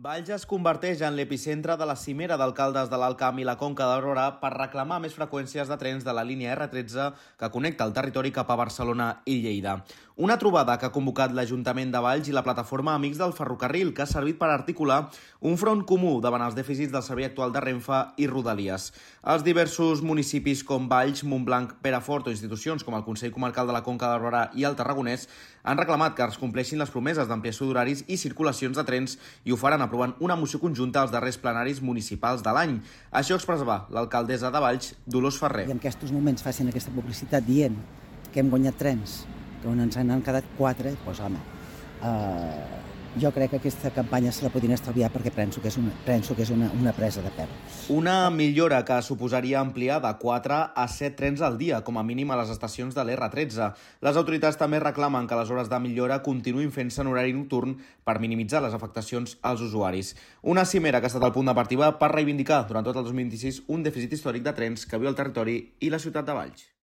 Valls es converteix en l'epicentre de la cimera d'alcaldes de l'Alt Camp i la Conca de Barberà per reclamar més freqüències de trens de la línia R13 que connecta el territori cap a Barcelona i Lleida. Una trobada que ha convocat l'Ajuntament de Valls i la plataforma Amics del Ferrocarril, que ha servit per articular un front comú davant els dèficits del servei actual de Renfe i Rodalies. Els diversos municipis com Valls, Montblanc, Perafort o institucions com el Consell Comarcal de la Conca de Barberà i el Tarragonès han reclamat que es compleixin les promeses d'ampliació d'horaris i circulacions de trens i ho faran aprovant una moció conjunta als darrers plenaris municipals de l'any. Això expressava l'alcaldessa de Valls, Dolors Ferrer. I en aquests moments facin aquesta publicitat dient que hem guanyat trens, que ens han quedat 4, doncs home, jo crec que aquesta campanya se la podien estalviar perquè penso que és una presa de pèl. Una millora que suposaria ampliar de 4 a 7 trens al dia, com a mínim a les estacions de l'R13. Les autoritats també reclamen que les hores de millora continuïn fent-se en horari nocturn per minimitzar les afectacions als usuaris. Una cimera que ha estat el punt de partida per reivindicar durant tot el 2026 un dèficit històric de trens que viu el territori i la ciutat de Valls.